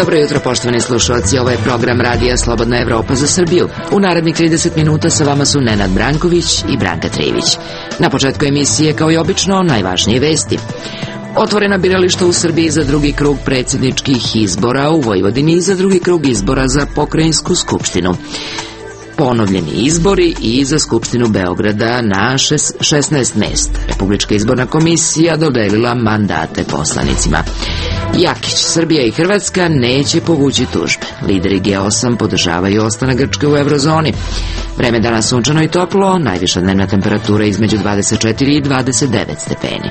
Dobro jutro, poštovani slušalci, ovo je program Radija Slobodna Evropa za Srbiju. U narednih 30 minuta sa vama su Nenad Branković i Branka Trivić. Na početku emisije, kao i obično, najvažnije vesti. Otvorena birališta u Srbiji za drugi krug predsjedničkih izbora u Vojvodini i za drugi krug izbora za pokrajinsku skupštinu. Ponovljeni izbori i za Skupštinu Beograda na 16 mesta. Republička izborna komisija dodelila mandate poslanicima. Jakić, Srbija i Hrvatska neće povući tužbe. Lideri G8 podržavaju ostanak Grčke u eurozoni. Vreme danas sunčano i toplo, najviša dnevna temperatura između 24 i 29 stepeni.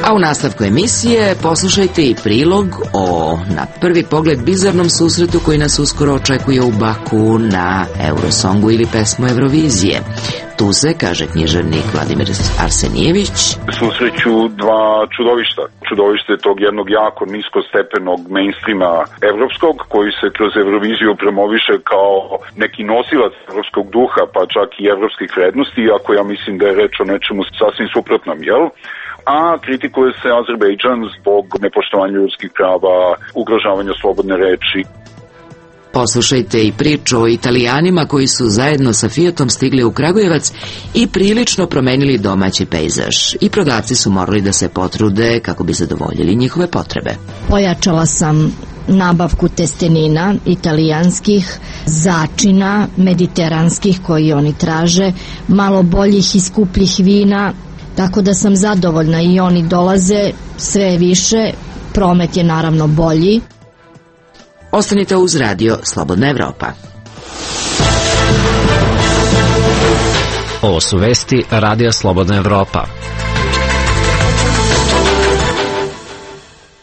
A u nastavku emisije poslušajte i prilog o, na prvi pogled, bizarnom susretu koji nas uskoro očekuje u Baku na Eurosongu ili pesmu Eurovizije. Tu se, kaže književnik Vladimir Arsenijević, susreću dva čudovišta. Čudovište tog jednog jako niskostepenog mainstreama evropskog, koji se kroz Euroviziju promoviše kao neki nosilac evropskog duha, pa čak i evropskih vrednosti, iako ja mislim da je reč o nečemu sasvim suprotnom, jel? A kritikuje se Azerbejdžan zbog nepoštovanja ljudskih prava, ugrožavanja slobodne reči. Poslušajte i priču o Italijanima koji su zajedno sa Fiatom stigli u Kragujevac i prilično promenili domaći pejzaž. I prodavci su morali da se potrude kako bi zadovoljili njihove potrebe. Pojačala sam nabavku testenina italijanskih, začina mediteranskih koji oni traže, malo boljih i skupljih vina, tako da sam zadovoljna i oni dolaze sve više, promet je naravno bolji. Ostanite uz Radio Slobodna Evropa. Ovo su vesti Radija Slobodna Evropa.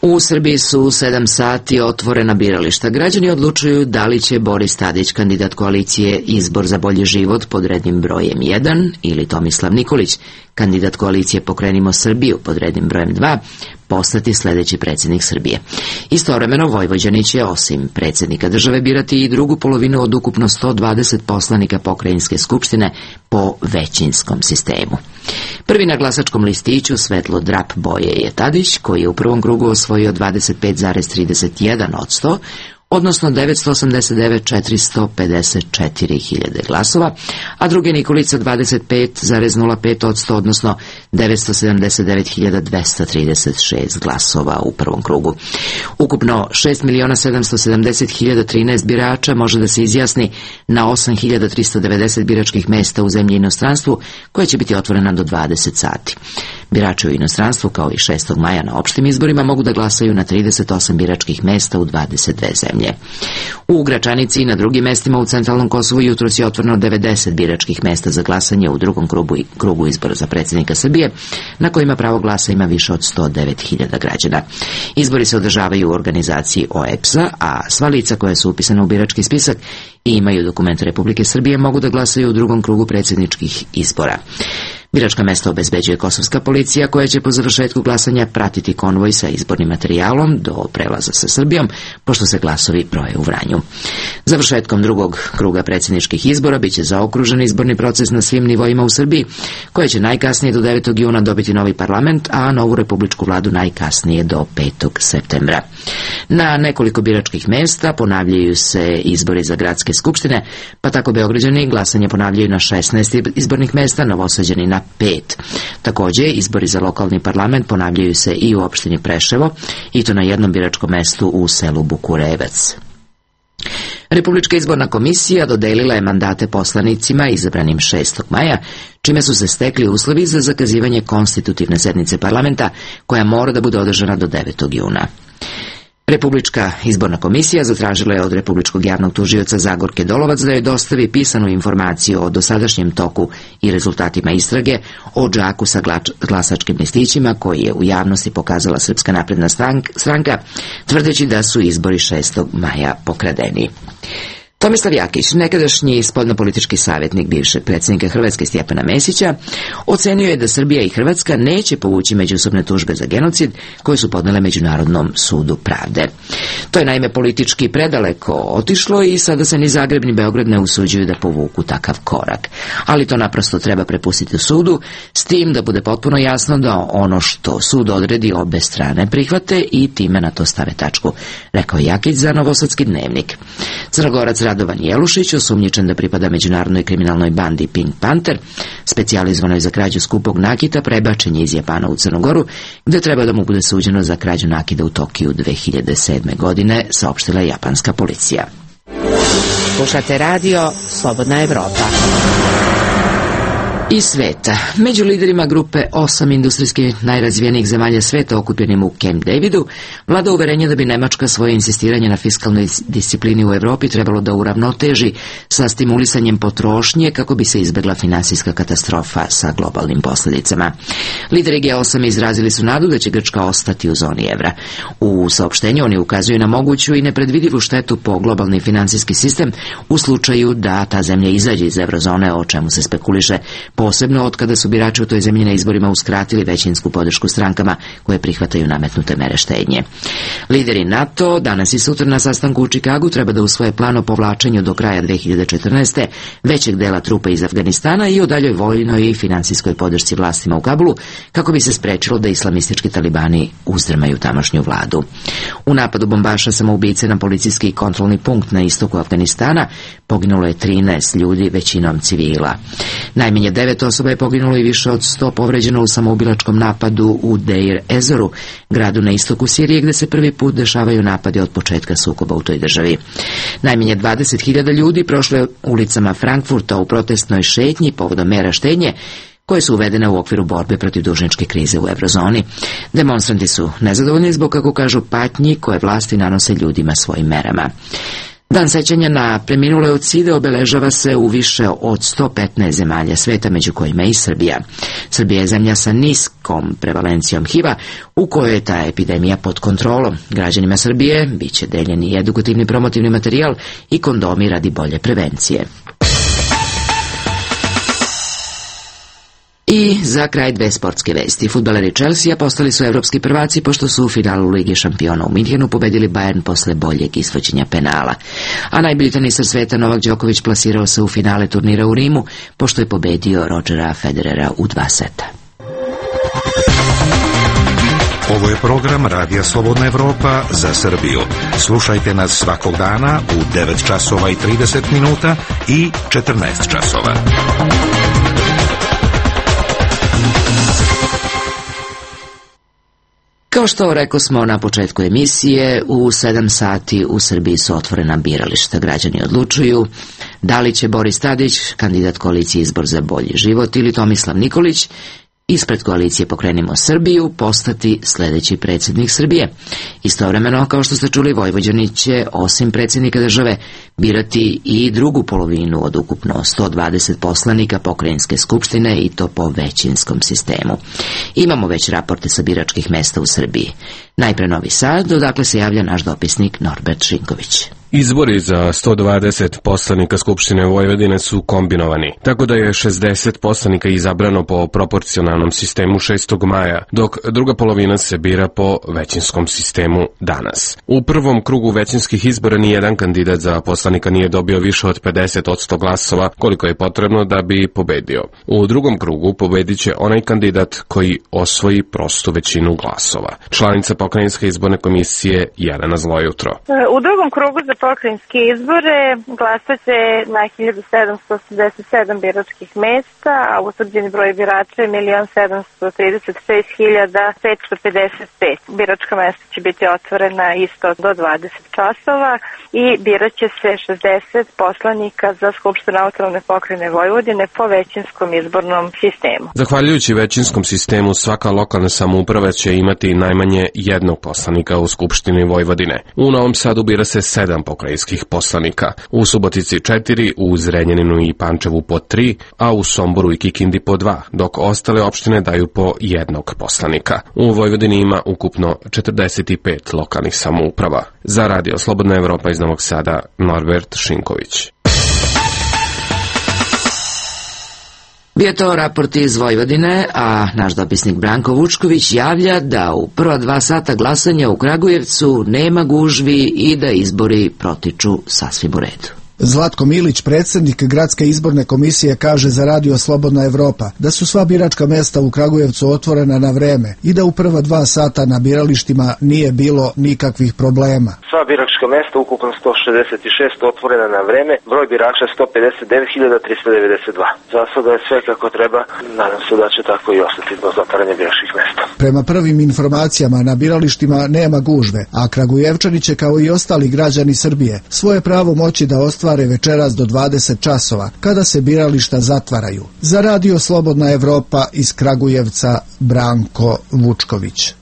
U Srbiji su 7 sati otvorena birališta. Građani odlučuju da li će Boris Tadić, kandidat koalicije Izbor za bolji život pod rednim brojem 1, ili Tomislav Nikolić, kandidat koalicije Pokrenimo Srbiju pod rednim brojem 2, postati sledeći predsjednik Srbije. Istovremeno Vojvođani će osim predsjednika države birati i drugu polovinu od ukupno 120 poslanika pokrajinske skupštine po većinskom sistemu. Prvi na glasačkom listiću svetlo drap boje je Tadić, koji je u prvom krugu osvojio 25,31%, odnosno 989.454 glasova, a drugi Nikolica 25,05%, odnosno 979.236 glasova u prvom krugu. Ukupno 6.770.013 birača može da se izjasni na 8.390 biračkih mesta u zemlji i inostranstvu, koja će biti otvorena do 20 sati. Birači u inostranstvu, kao i 6. maja na opštim izborima, mogu da glasaju na 38 biračkih mesta u 22 zemlje. U Gračanici i na drugim mestima u centralnom Kosovu jutros je otvoreno 90 biračkih mesta za glasanje u drugom krugu izbora za predsjednika Srbije, na kojima pravo glasa ima više od 109.000 građana. Izbori se održavaju u organizaciji OEBS-a, a sva lica koja su upisana u birački spisak i imaju dokumente Republike Srbije mogu da glasaju u drugom krugu predsjedničkih izbora. Biračka mesta obezbeđuje kosovska policija, koja će po završetku glasanja pratiti konvoj sa izbornim materijalom do prelaza sa Srbijom, pošto se glasovi broje u Vranju. Završetkom drugog kruga predsjedničkih izbora biće zaokružen izborni proces na svim nivoima u Srbiji, koja će najkasnije do 9. juna dobiti novi parlament, a novu republičku vladu najkasnije do 5. septembra. Na nekoliko biračkih mesta ponavljaju se izbori za gradske skupštine, pa tako Beograđani glasanje ponavljaju na 16 izbornih mesta, Novosađani na 5. Takođe, izbori za lokalni parlament ponavljaju se i u opštini Preševo, i to na jednom biračkom mestu u selu Bukurevac. Republička izborna komisija dodelila je mandate poslanicima izabranim 6. maja, čime su se stekli uslovi za zakazivanje konstitutivne sednice parlamenta, koja mora da bude održana do 9. juna. Republička izborna komisija zatražila je od Republičkog javnog tužioca Zagorke Dolovac da joj dostavi pisanu informaciju o dosadašnjem toku i rezultatima istrage o džaku sa glasačkim listićima koji je u javnosti pokazala Srpska napredna stranka, tvrdeći da su izbori 6. maja pokradeni. Tomislav Jakić, nekadašnji spoljnopolitički savjetnik bivšeg predsjednika Hrvatske Stjepana Mesića, ocenio je da Srbija i Hrvatska neće povući međusobne tužbe za genocid koje su podnele Međunarodnom sudu pravde. To je naime politički predaleko otišlo i sada se ni Zagreb ni Beograd ne usuđuju da povuku takav korak. Ali to naprosto treba prepustiti u sudu, s tim da bude potpuno jasno da ono što sud odredi obe strane prihvate i time na to stave tačku, rekao Jakić za Novosadski dnevnik. Crnogorac Radovan Jelušić, osumnjičen da pripada međunarodnoj kriminalnoj bandi Pink Panther, specijalizovanoj za krađu skupog nakita, prebačen je iz Japana u Crnogoru, gde treba da mu bude suđeno za krađu nakita u Tokiju 2007. godine, saopštila je japanska policija. Slušate radio Slobodna Evropa. Iz sveta. Među liderima grupe 8 industrijski najrazvijenijih zemalja sveta okupljenim u Camp Davidu vlada uverenje da bi Nemačka svoje insistiranje na fiskalnoj disciplini u Evropi trebalo da uravnoteži sa stimulisanjem potrošnje kako bi se izbjegla finansijska katastrofa sa globalnim posljedicama. Lideri G8 izrazili su nadu da će Grčka ostati u zoni evra. U saopštenju oni ukazuju na moguću i nepredvidivu štetu po globalni finansijski sistem u slučaju da ta zemlja izađe iz eurozone, o čemu se spekuliše, posebno od kada su birači u toj zemlji na izborima uskratili većinsku podršku strankama koje prihvataju nametnute mere štednje. Lideri NATO danas i sutra na sastanku u Čikagu treba da usvoje plan o povlačenju do kraja 2014. većeg dela trupa iz Afganistana i o daljoj vojnoj i finansijskoj podršci vlastima u Kabulu kako bi se sprečilo da islamistički talibani uzdrmaju tamošnju vladu. U napadu bombaša samoubice na policijski kontrolni punkt na istoku Afganistana poginulo je 13 ljudi, većinom civila. Najmanje 9 osoba je poginulo i više od 100 povređeno u samoubilačkom napadu u Deir Ezoru, gradu na istoku Sirije, gde se prvi put dešavaju napadi od početka sukoba u toj državi. Najmanje 20.000 ljudi prošlo je ulicama Frankfurta u protestnoj šetnji povodom mera štednje koje su uvedene u okviru borbe protiv dužničke krize u eurozoni. Demonstranti su nezadovoljni zbog, kako kažu, patnji koje vlasti nanose ljudima svojim merama. Dan sećanja na preminule od side obeležava se u više od 115 zemalja sveta, među kojima i Srbija. Srbija je zemlja sa niskom prevalencijom HIV-a, u kojoj je ta epidemija pod kontrolom. Građanima Srbije biće deljeni i edukativni promotivni materijal i kondomi radi bolje prevencije. I za kraj dve sportske vesti. Fudbaleri Chelsea postali su evropski prvaci pošto su u finalu Lige šampiona u Minhenu pobedili Bayern posle boljeg ishođenja penala. A najbolji teniser sveta Novak Đoković plasirao se u finale turnira u Rimu pošto je pobedio Rodgera Federera u 2 seta. Ovo je program Radija Slobodna Evropa za Srbiju. Slušajte nas svakog dana u 9 časova i 30 minuta i 14 časova. Kao što rekao smo na početku emisije, u 7 sati u Srbiji su otvorena birališta. Građani odlučuju da li će Boris Tadić, kandidat koalicije Izbor za bolji život, ili Tomislav Nikolić, ispred koalicije Pokrenimo Srbiju, postati sljedeći predsjednik Srbije. Istovremeno, kao što ste čuli, Vojvođani će, osim predsjednika države, birati i drugu polovinu od ukupno 120 poslanika pokrajinske skupštine, i to po većinskom sistemu. Imamo već raporte sa biračkih mesta u Srbiji. Najpre Novi Sad, odakle se javlja naš dopisnik Norbert Šinković. Izbori za 120 poslanika Skupštine Vojvodine su kombinovani, tako da je 60 poslanika izabrano po proporcionalnom sistemu 6. maja, dok druga polovina se bira po većinskom sistemu danas. U prvom krugu većinskih izbora nijedan kandidat za poslanika nije dobio više od 50% glasova, koliko je potrebno da bi pobedio. U drugom krugu pobedit će onaj kandidat koji osvoji prostu većinu glasova. Članica Pokrajinske izborne komisije Jelena Zlojutro. U drugom krugu za pokrajinske izbore glasat će na 1787 biračkih mesta, a utvrđeni broj birača je 1.736.555. Biračka mesta će biti otvorena isto do 20 časova i birat će se 60 poslanika za Skupštinu autonomne pokrajine Vojvodine po većinskom izbornom sistemu. Zahvaljujući većinskom sistemu, svaka lokalna samouprava će imati najmanje jednog poslanika u Skupštini Vojvodine. U Novom Sadu bira se 7 pokrajinskih poslanika. U Subotici 4, u Zrenjaninu i Pančevu po 3, a u Somboru i Kikindi po 2, dok ostale opštine daju po jednog poslanika. U Vojvodini ima ukupno 45 lokalnih samouprava. Za Radio Slobodna Evropa iz Novog Sada, Norbert Šinković. Bio to raport iz Vojvodine, a naš dopisnik Branko Vučković javlja da u prva 2 sata glasanja u Kragujevcu nema gužvi i da izbori protiču sasvim u redu. Zlatko Milić, predsjednik Gradske izborne komisije, kaže za Radio Slobodna Evropa da su sva biračka mesta u Kragujevcu otvorena na vreme i da u prva 2 sata na biralištima nije bilo nikakvih problema. Sva biračka mesta, ukupno 166, otvorena na vreme, broj birača 159.392. Za sada je sve kako treba, nadam se da će tako i ostati do zatvaranja biračkih mesta. Prema prvim informacijama na biralištima nema gužve, a Kragujevčani će kao i ostali građani Srbije svoje pravo moći da ostvare večeras do 20 časova, kada se birališta zatvaraju. Za Radio Slobodna Evropa iz Kragujevca, Branko Vučković.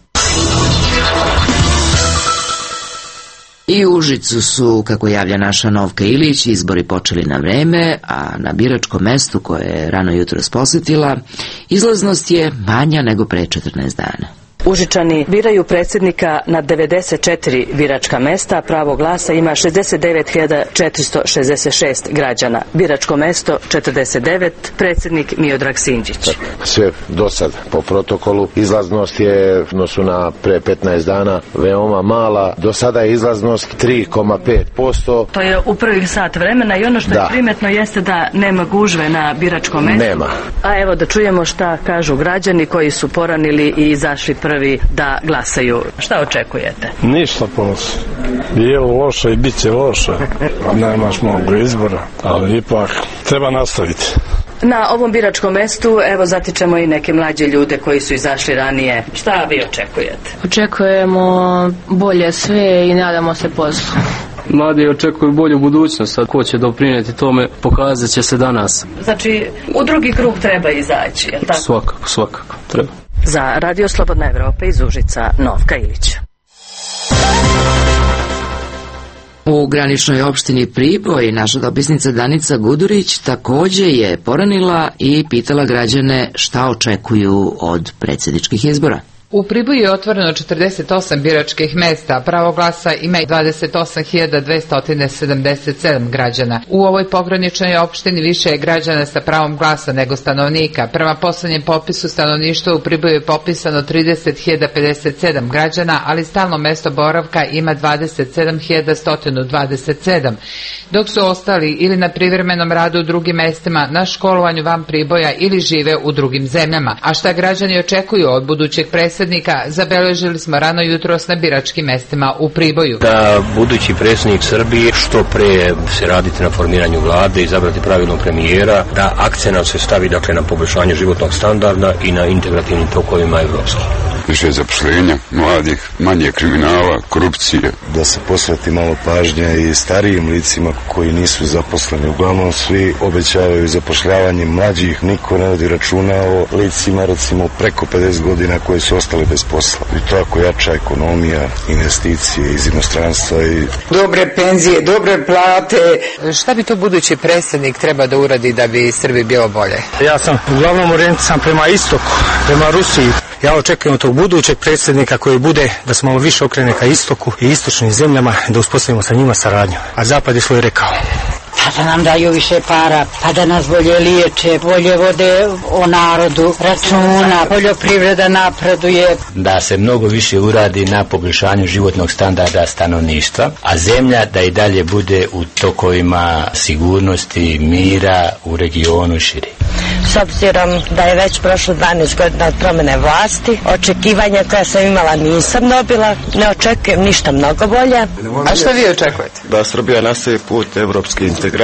I u Užicu su, kako javlja naša Novka Ilić, izbori počeli na vreme, a na biračkom mestu koje je rano jutros posjetila, izlaznost je manja nego pre 14 dana. Užičani biraju predsjednika na 94 biračka mesta, pravo glasa ima 69.466 građana. Biračko mesto 49, predsjednik Miodrag Sinđić. Sve do sad po protokolu. Izlaznost je odnosu na pre 15 dana veoma mala. Do sada je izlaznost 3,5%. To je u prvih sat vremena i ono što je primetno jeste da nema gužve na biračkom mestu. Nema. A evo da čujemo šta kažu građani koji su poranili i izašli prvi da glasaju. Šta očekujete? Ništa ponosi. Je loše i bit će loše. Nemaš mnogo izbora, ali ipak treba nastaviti. Na ovom biračkom mestu, evo, zatičemo i neke mlađe ljude koji su izašli ranije. Šta vi očekujete? Očekujemo bolje sve i nadamo se poslu. Mladi očekuju bolju budućnost, a ko će doprinijeti tome pokazat će se danas. Znači, u drugi krug treba izaći, je tako? Svakako, treba. Za Radio Slobodna Evropa iz Užica, Novka Ilić. U graničnoj opštini Priboj naša dopisnica Danica Gudurić također je poranila i pitala građane šta očekuju od predsjedničkih izbora. U Priboju je otvoreno 48 biračkih mesta, pravo glasa ima 28.277 građana. U ovoj pograničnoj opštini više je građana sa pravom glasa nego stanovnika. Prema poslednjem popisu stanovništva u Priboju je popisano 30.057 građana, ali stalno mesto boravka ima 27.127, dok su ostali ili na privremenom radu u drugim mestima, na školovanju van Priboja ili žive u drugim zemljama. A šta građani očekuju od budućeg predsjednika zabeležili smo rano jutros na biračkim mestima u Priboju. Da budući predsjednik Srbije što pre se raditi na formiranju vlade, izabrati pravilnog premijera, da akcenat se stavi dakle na poboljšanje životnog standarda i na integrativnim tokovima evropskih. Više zaposlenja mladih, manje kriminala, korupcije. Da se posveti malo pažnje i starijim licima koji nisu zaposleni. Uglavnom svi obećavaju zapošljavanje mlađih, niko ne vodi računa o licima recimo preko 50 godina koji su ostali bez posla. I tako jača ekonomija, investicije iz inostranstva i dobre penzije, dobre plate. Šta bi to budući predsjednik treba da uradi da bi Srbiji bilo bolje? Ja sam uglavnom orijentiran prema istoku, prema Rusiji. Ja očekujem od tog budućeg predsjednika koji bude da se malo više okrene ka istoku i istočnim zemljama, da uspostavimo sa njima saradnju. A zapad je svoj rekao. Pa da nam daju više para, pa da nas bolje liječe, bolje vode o narodu, računa, poljoprivreda napreduje. Da se mnogo više uradi na poboljšanju životnog standarda stanovništva, a zemlja da i dalje bude u tokovima sigurnosti, mira u regionu širi. S obzirom da je već prošlo 12 godina od promjene vlasti, očekivanja koja sam imala nisam dobila, ne očekujem ništa mnogo bolje. A što vi očekujete? Da Srbija nastavi put evropske integracije,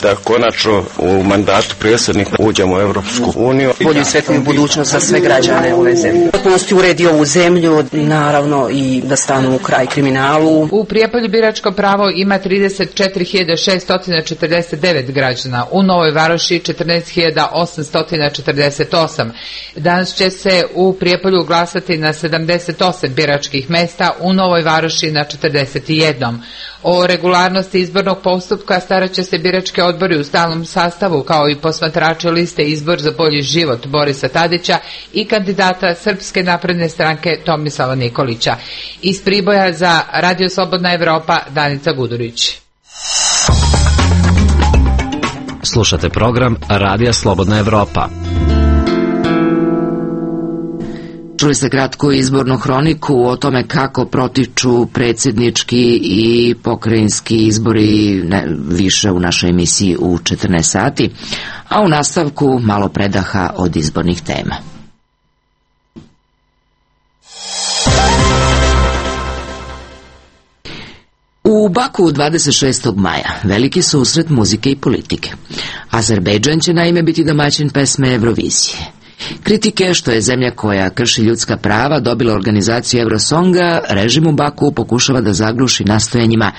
da konačno u mandatu predsjednika uđemo u Evropsku uniju. Bolju i svetliju budućnost za sve građane ove zemlje. Potpunosti uredi ovu zemlju, naravno i da stanu u kraj kriminalu. U Prijepolju biračko pravo ima 34.649 građana, u Novoj Varoši 14.800 848. Danas će se u Prijepolju glasati na 78 biračkih mesta, u Novoj Varoši na 41. O regularnosti izbornog postupka starat će se birački odbori u stalnom sastavu, kao i posmatrači liste Izbor za bolji život Borisa Tadića i kandidata Srpske napredne stranke Tomislava Nikolića. Iz Priboja za Radio Slobodna Evropa, Danica Gudurić. Slušate program Radija Slobodna Evropa. Čuli ste kratku izbornu hroniku o tome kako protiču predsjednički i pokrajinski izbori, više u našoj emisiji u 14 sati, a u nastavku malo predaha od izbornih tema. U Baku 26. maja veliki susret muzike i politike. Azerbejdžan će naime biti domaćin pesme Eurovizije. Kritike što je zemlja koja krši ljudska prava dobila organizaciju Eurosonga, režim u Baku pokušava da zagluši nastojanjima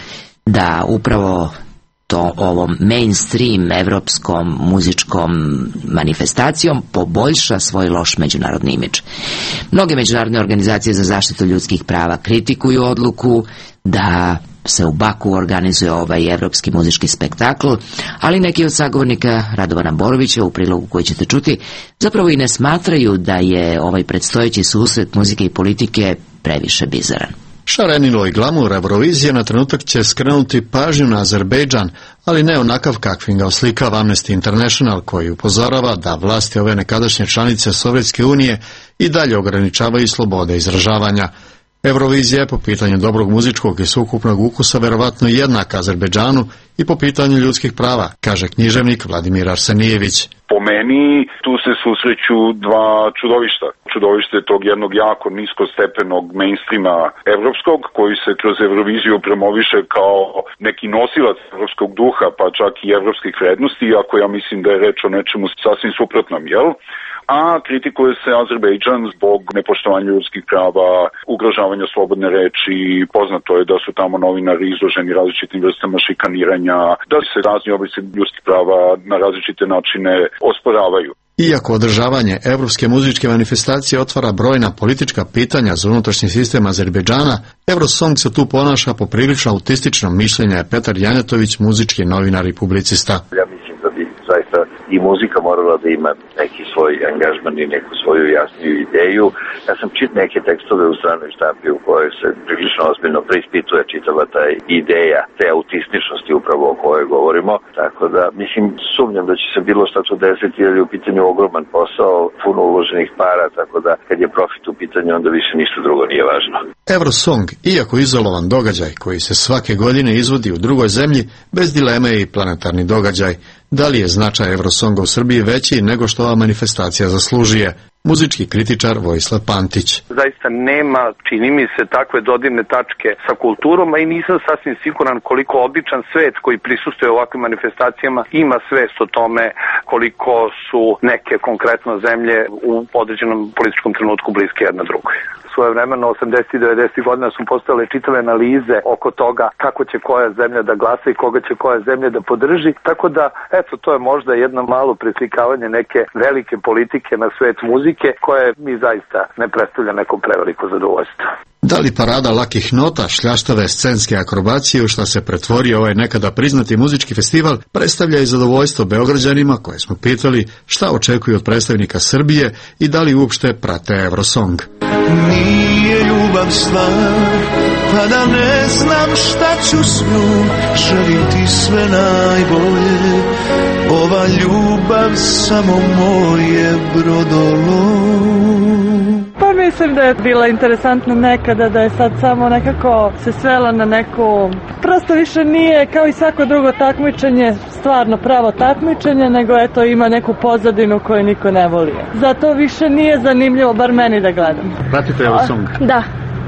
da upravo ovom mainstream evropskom muzičkom manifestacijom poboljša svoj loš međunarodni imidž. Mnoge međunarodne organizacije za zaštitu ljudskih prava kritikuju odluku da se u Baku organizuje ovaj evropski muzički spektakl, ali neki od sagovornika Radovana Borovića u prilogu koji ćete čuti zapravo i ne smatraju da je ovaj predstojeći susret muzike i politike previše bizaran. Šarenilo i glamur Eurovizije na trenutak će skrenuti pažnju na Azerbejdžan, ali ne onakav kakvim ga oslikava Amnesty International, koji upozorava da vlasti ove nekadašnje članice Sovjetske unije i dalje ograničavaju slobode izražavanja. Eurovizija je po pitanju dobrog muzičkog i sveukupnog ukusa verovatno jednaka Azerbejdžanu i po pitanju ljudskih prava, kaže književnik Vladimir Arsenijević. Po meni tu se susreću dva čudovišta. Čudovište tog jednog jako niskostepenog mainstreama evropskog, koji se kroz Euroviziju promoviše kao neki nosilac evropskog duha, pa čak i evropskih vrednosti, iako ja mislim da je reč o nečemu sasvim suprotnom, jel? A kritikuje se Azerbejdžan zbog nepoštovanja ljudskih prava, ugrožavanja slobodne reči. Poznato je da su tamo novinari izloženi različitim vrstama šikaniranja, da se razni oblici ljudskih prava na različite načine osporavaju. Iako održavanje evropske muzičke manifestacije otvara brojna politička pitanja za unutrašnji sistem Azerbejdžana, Eurosong se tu ponaša poprilično autistično, mišljenja je Petar Janetović, muzički novinar i publicista. Ja mislim da bi zaista i muzika morala da ima neki svoj angažman i neku svoju jasniju ideju. Ja sam čitao neke tekstove u stranoj štampi u kojoj se prilično ozbiljno preispituje čitava ta ideja te autističnosti upravo o kojoj govorimo. Tako da, mislim, sumnjam da će se bilo šta tu desiti, jer je u pitanju ogroman posao, puno uloženih para, tako da kad je profit u pitanju, onda više ništa drugo nije važno. Eurosong, iako izolovan događaj koji se svake godine izvodi u drugoj zemlji, bez dileme je i planetarni događaj. Da li je značaj Eurosonga u Srbiji veći nego što ova manifestacija zaslužuje? Muzički kritičar Vojislav Pantić. Zaista nema, čini mi se, takve dodirne tačke sa kulturom, a i nisam sasvim siguran koliko običan svet koji prisustuje ovakvim manifestacijama ima svest o tome koliko su neke konkretno zemlje u određenom političkom trenutku bliske jedna drugoj. Svojevremeno 80. i 90. godina su postojale čitave analize oko toga kako će koja zemlja da glasa i koga će koja zemlja da podrži, tako da, eto, to je možda jedno malo preslikavanje neke velike politike na svet muzike, koje mi zaista ne predstavlja neko preveliko zadovoljstvo. Da li parada lakih nota, šljaštave scenske akrobacije u šta se pretvorio ovaj nekada priznati muzički festival, predstavlja i zadovoljstvo Beograđanima koje smo pitali šta očekuju od predstavnika Srbije i da li uopšte prate Eurosong. Nije ljubav stvar, pa da ne znam šta ću s njom, želim ti sve najbolje, ova ljubav samo moje brodolo. Pa mislim da je bila interesantna nekada, da je sad samo nekako se svela na neku, prosto više nije kao i svako drugo takmičenje stvarno pravo takmičenje, nego eto ima neku pozadinu koju niko ne voli. Zato više nije zanimljivo, bar meni da gledam. Pratite Eurosong? Da.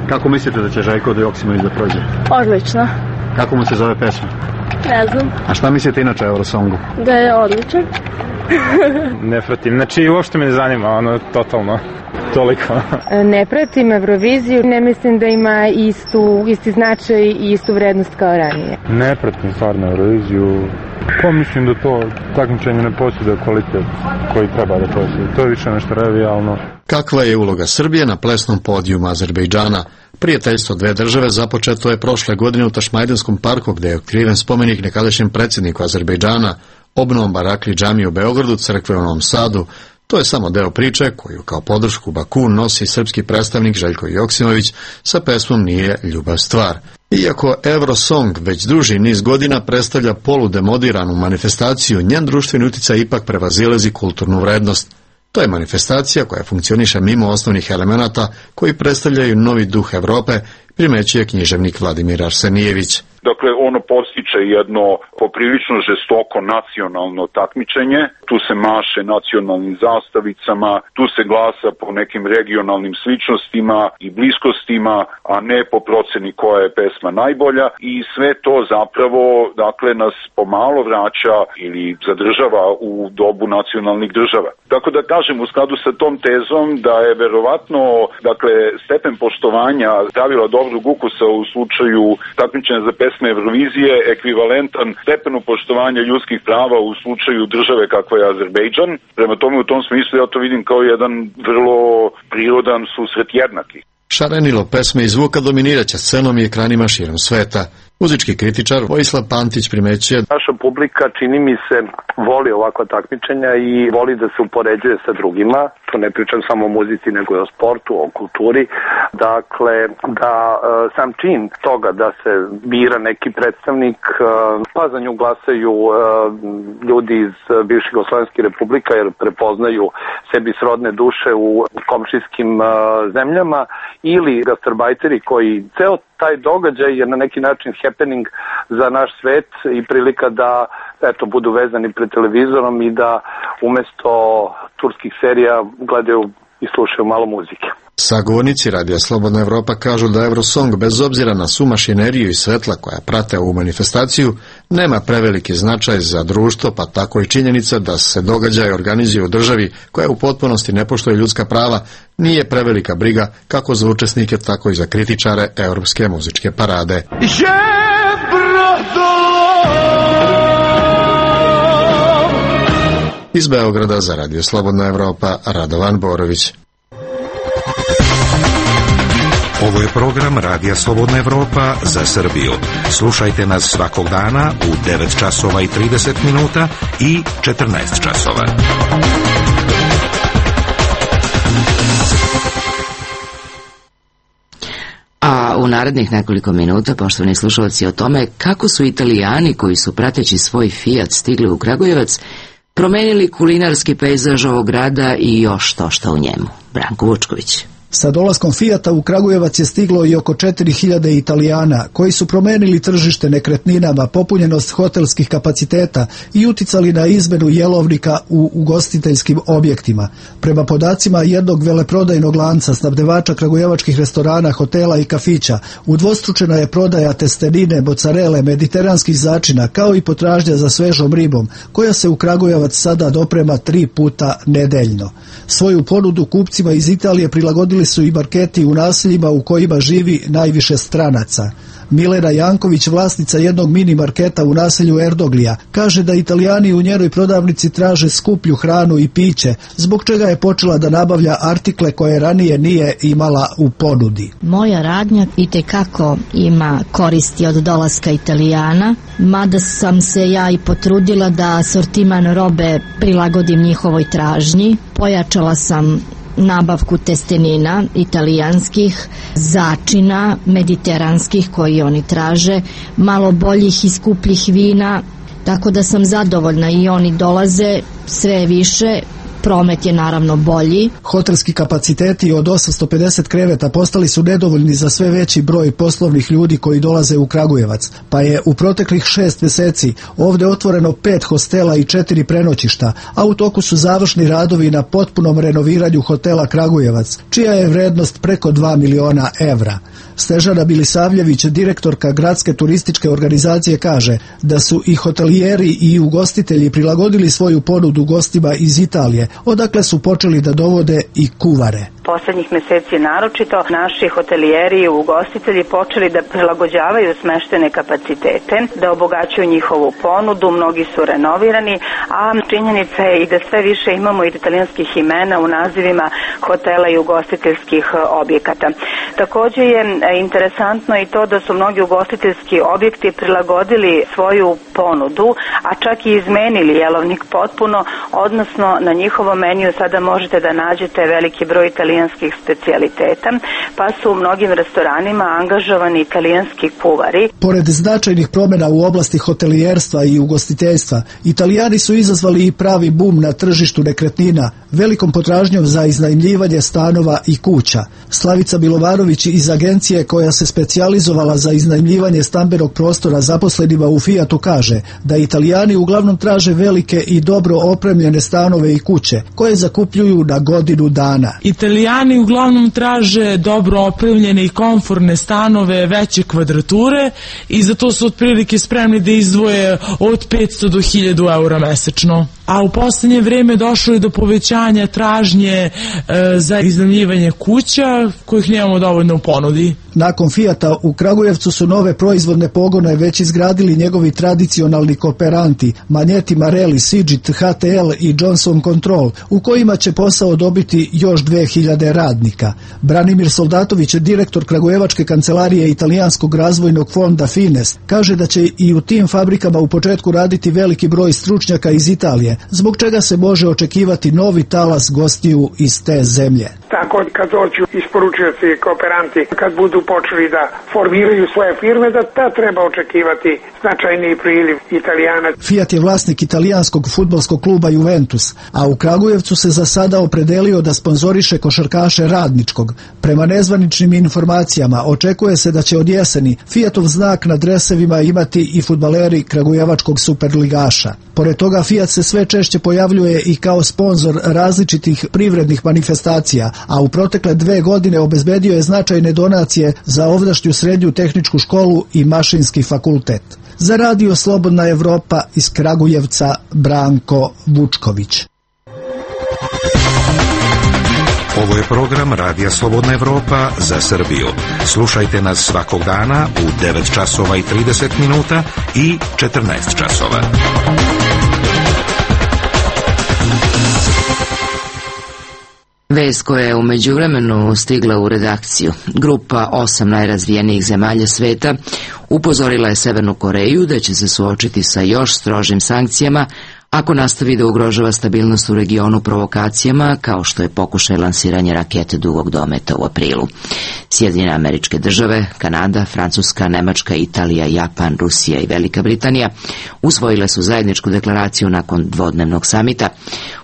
Kako mislite da će Željko Joksimović da prođe? Odlično. Kako mu se zove pesma? Ne znam. A šta mislite inače o Eurosongu? Da je odličan. Ne pratim, znači uopšte me ne zanima, totalno, toliko. Ne pratim Euroviziju, ne mislim da ima isti značaj i istu vrednost kao ranije. Ne pratim stvarno Euroviziju, mislim da to takmičenje ne posjeduje kvalitet koji treba da posjeduje, to je više nešto revijalno. Kakva je uloga Srbije na plesnom podijumu Azerbejdžana? Prijateljstvo dve države započeto je prošle godine u Tašmajdenskom parku, gde je otkriven spomenik nekadašnjem predsjedniku Azerbejdžana, obnovom Barakli džamije u Beogradu, crkve u Novom Sadu. To je samo deo priče koju kao podršku Baku nosi srpski predstavnik Željko Joksimović sa pesmom Nije ljubav stvar. Iako Eurosong već duži niz godina predstavlja poludemodiranu manifestaciju, njen društveni uticaj ipak prevazilazi kulturnu vrednost. To je manifestacija koja funkcioniše mimo osnovnih elemenata koji predstavljaju novi duh Evrope, primećuje književnik Vladimir Arsenijević. Dakle, ono postiče jedno poprilično žestoko nacionalno takmičenje, tu se maše nacionalnim zastavicama, tu se glasa po nekim regionalnim sličnostima i bliskostima, a ne po proceni koja je pesma najbolja, i sve to zapravo, dakle, nas pomalo vraća ili zadržava u dobu nacionalnih država. Tako da kažem, u skladu sa tom tezom da je verovatno, dakle, stepen poštovanja pravila dobrog ukusa u slučaju takmičenja za pesme Eurovizije ekvivalentan stepenu poštovanja ljudskih prava u slučaju države kakva je Azerbejdžan. Prema tome, u tom smislu ja to vidim kao jedan vrlo prirodan susret jednaki. Šarenilo pesme i zvuka dominiraće scenom i ekranima širom sveta. Muzički kritičar Vojislav Pantić primećuje: naša publika, čini mi se, voli ovakva takmičenja i voli da se upoređuje sa drugima. To ne pričam samo o muzici, nego i o sportu, o kulturi. Dakle, da sam čin toga da se bira neki predstavnik, pa za nju glasaju ljudi iz bivših Jugoslovenskih republika, jer prepoznaju sebi srodne duše u komšijskim zemljama, ili gastarbajteri koji ceo taj događaj je na neki način happening za naš svet i prilika da budu vezani pred televizorom i da umesto turskih serija gledaju i slušaju malo muzike. Sagovornici Radija Slobodna Evropa kažu da Eurosong, bez obzira na svu mašineriju i svetla koja prate ovu manifestaciju, nema preveliki značaj za društvo, pa tako i činjenica da se događaj organizuje u državi koja u potpunosti ne poštuje ljudska prava nije prevelika briga kako za učesnike, tako i za kritičare Evropske muzičke parade. Iz Beograda za Radio Slobodna Evropa, Radovan Borović. Ovo je program Radija Slobodna Evropa za Srbiju. Slušajte nas svakog dana u 9 časova i 30 minuta i 14 časova. A u narednih nekoliko minuta, poštovani slušalci, o tome kako su Italijani koji su prateći svoj Fiat stigli u Kragujevac promenili kulinarski pejzaž ovog grada i još to što u njemu. Branko Vučković. Sa dolaskom Fijata u Kragujevac je stiglo i oko 4000 Italijana koji su promenili tržište nekretninama, popunjenost hotelskih kapaciteta i uticali na izmenu jelovnika u ugostiteljskim objektima. Prema podacima jednog veleprodajnog lanca snabdevača kragujevačkih restorana, hotela i kafića, udvostručena je prodaja testenine, mocarele, mediteranskih začina, kao i potražnja za svežom ribom, koja se u Kragujevac sada doprema 3 puta nedeljno. Svoju ponudu kupcima iz Italije prilagodili su i marketi u naseljima u kojima živi najviše stranaca. Milena Janković, vlasnica jednog mini marketa u naselju Erdoglija, kaže da Italijani u njenoj prodavnici traže skuplju hranu i piće, zbog čega je počela da nabavlja artikle koje ranije nije imala u ponudi. Moja radnja itekako ima koristi od dolaska Italijana, mada sam se ja i potrudila da asortiman robe prilagodim njihovoj tražnji. Pojačala sam nabavku testenina italijanskih, začina mediteranskih koji oni traže, malo boljih i skupljih vina, tako da sam zadovoljna i oni dolaze sve više promet je naravno bolji. Hotelski kapaciteti od 850 kreveta postali su nedovoljni za sve veći broj poslovnih ljudi koji dolaze u Kragujevac, pa je u proteklih 6 mjeseci ovdje otvoreno 5 hostela i 4 prenoćišta, a u toku su završni radovi na potpunom renoviranju hotela Kragujevac, čija je vrednost preko 2 miliona evra. Snežana Bilisavljević, direktorka gradske turističke organizacije, kaže da su i hotelijeri i ugostitelji prilagodili svoju ponudu gostima iz Italije, odakle su počeli da dovode i kuvare. Poslednjih meseci naročito naši hotelijeri i ugostitelji počeli da prilagođavaju smeštene kapacitete, da obogaćuju njihovu ponudu, mnogi su renovirani, a činjenica je i da sve više imamo italijanskih imena u nazivima hotela i ugostiteljskih objekata. Takođe je interesantno i to da su mnogi ugostiteljski objekti prilagodili svoju ponudu, a čak i izmenili jelovnik potpuno, odnosno na njihovom meniju sada možete da nađete veliki broj italijanskih specijaliteta, pa su u mnogim restoranima angažovani italijanski kuvari. Pored značajnih promjena u oblasti hotelijerstva i ugostiteljstva, Italijani su izazvali i pravi bum na tržištu nekretnina, velikom potražnjom za iznajmljivanje stanova i kuća. Slavica Bilovarović iz agencije koja se specijalizovala za iznajmljivanje stambenog prostora zaposlenima u Fiatu kaže da Italijani uglavnom traže velike i dobro opremljene stanove i kuće koje zakupljuju na godinu dana. Italijani uglavnom traže dobro opremljene i komforne stanove veće kvadrature i za to su otprilike spremni da izdvoje od 500 do 1000 eura mesečno. A u posljednje vrijeme došlo je do povećanja tražnje za iznajmljivanje kuća kojih nemamo dovoljno u ponudi. Nakon Fijata u Kragujevcu su nove proizvodne pogone već izgradili njegovi tradicionalni kooperanti Magneti Marelli, Sigit, HTL i Johnson Control, u kojima će posao dobiti još 2000 radnika. Branimir Soldatović, direktor Kragujevačke kancelarije Italijanskog razvojnog fonda Fines, kaže da će i u tim fabrikama u početku raditi veliki broj stručnjaka iz Italije, zbog čega se može očekivati novi talas gostiju iz te zemlje. Tako kad dođu isporučioci i kooperanti, kad budu počeli da formiraju svoje firme, da treba očekivati značajniji priliv Italijana. Fiat je vlasnik italijanskog fudbalskog kluba Juventus, a u Kragujevcu se za sada opredelio da sponzoriše košarkaše Radničkog. Prema nezvaničnim informacijama očekuje se da će od jeseni Fiatov znak na dresevima imati i fudbaleri kragujevačkog superligaša. Pored toga Fiat se sve češće pojavljuje i kao sponzor različitih privrednih manifestacija, a u protekle 2 godine obezbedio je značajne donacije za ovdašnju srednju tehničku školu i mašinski fakultet. Za Radio Slobodna Evropa iz Kragujevca, Branko Vučković. Ovo je program Radija Slobodna Evropa za Srbiju. Slušajte nas svakog dana u 9 časova i 30 minuta i 14 časova. Vest koja je u međuvremenu stigla u redakciju. Grupa 8 najrazvijenijih zemalja sveta upozorila je Severnu Koreju da će se suočiti sa još strožim sankcijama ako nastavi da ugrožava stabilnost u regionu provokacijama, kao što je pokušaj lansiranja rakete dugog dometa u aprilu. Sjedinjene Američke Države, Kanada, Francuska, Nemačka, Italija, Japan, Rusija i Velika Britanija usvojile su zajedničku deklaraciju nakon dvodnevnog samita.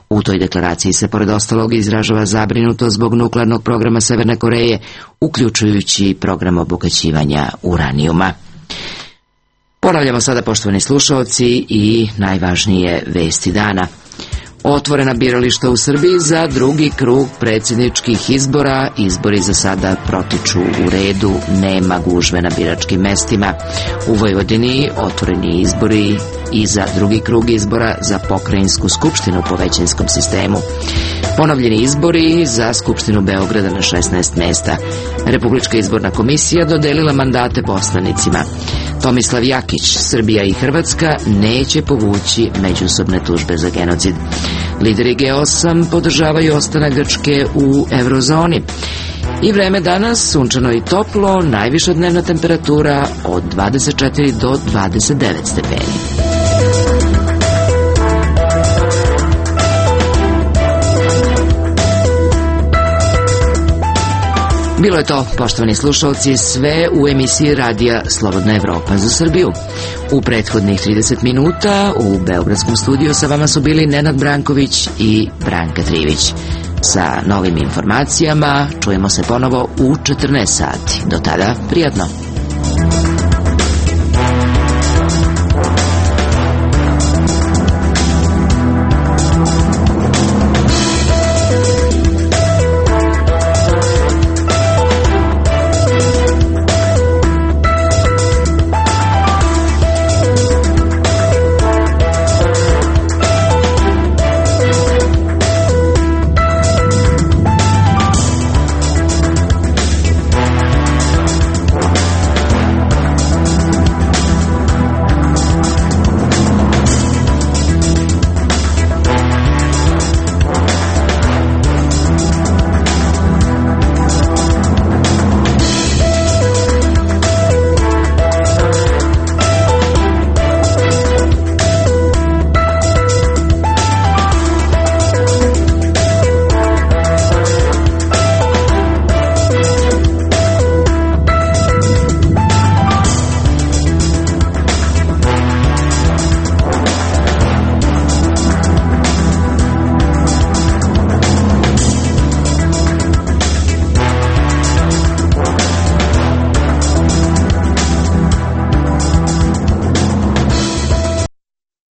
U toj deklaraciji se pored ostalog izražava zabrinutost zbog nuklearnog programa Severne Koreje, uključujući program obogaćivanja uranijuma. Ponavljamo sada, poštovani slušaoci, i najvažnije vesti dana. Otvorena birališta u Srbiji za drugi krug predsjedničkih izbora. Izbori za sada protiču u redu, nema gužve na biračkim mestima. U Vojvodini otvoreni izbori i za drugi krug izbora za pokrajinsku skupštinu po većinskom sistemu. Ponovljeni izbori za Skupštinu Beograda na 16 mesta. Republička izborna komisija dodelila mandate poslanicima. Tomislav Jakić, Srbija i Hrvatska neće povući međusobne tužbe za genocid. Lideri G8 podržavaju ostanak Grčke u eurozoni. I vreme danas sunčano i toplo, najviša dnevna temperatura od 24 do 29 stepeni. Bilo je to, poštovani slušalci, sve u emisiji Radija Slobodna Evropa za Srbiju. U prethodnih 30 minuta u beogradskom studiju sa vama su bili Nenad Branković i Branka Trivić. Sa novim informacijama čujemo se ponovo u 14 sati. Do tada, prijatno.